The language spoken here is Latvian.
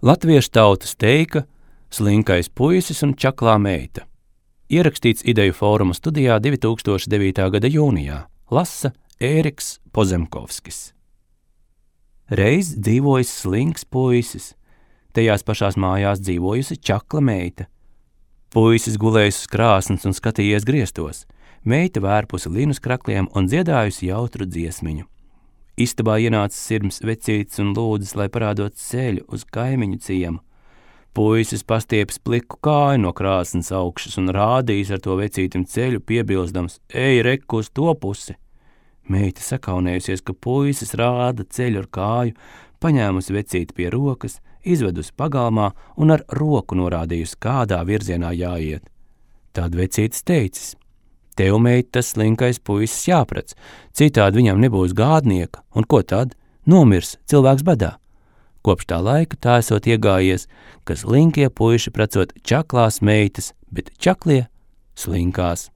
Latviešu tautas teika Slinkais puisis un čaklā meita. Ierakstīts Ideju fóruma studijā 2009. gada jūnijā. Lasa Ēriks Pozemkovskis. Reiz dzīvojis slinks puisis. Tajās pašās mājās dzīvojusi čakla meita. Puisis gulējis uz krāsnes un skatījies griestos. Meita vērpusi linus krakliem un dziedājusi jautru dziesmiņu. Istabā ienāca sirms vecītis un lūdzas, lai parādot ceļu uz kaimiņu ciemu. Puisis pastiepis pliku kāju no krāsnes augšas un rādījis ar to vecītim ceļu, piebilstams: "Ej, reku uz to pusi!" Meita sakaunējusies, ka puisis rāda ceļu ar kāju, paņēmusi vecīti pie rokas, izvedusi pagalmā un ar roku norādījusi, kādā virzienā jāiet. Tad vecītis teicis: "Tev, meita, tas slinkais puisis jāprec, citādi viņam nebūs gādnieka, un ko tad? Nomirs cilvēks badā." Kopš tā laika tā esot iegājies, ka slinkie puiši precot čaklās meitas, bet čaklie slinkās.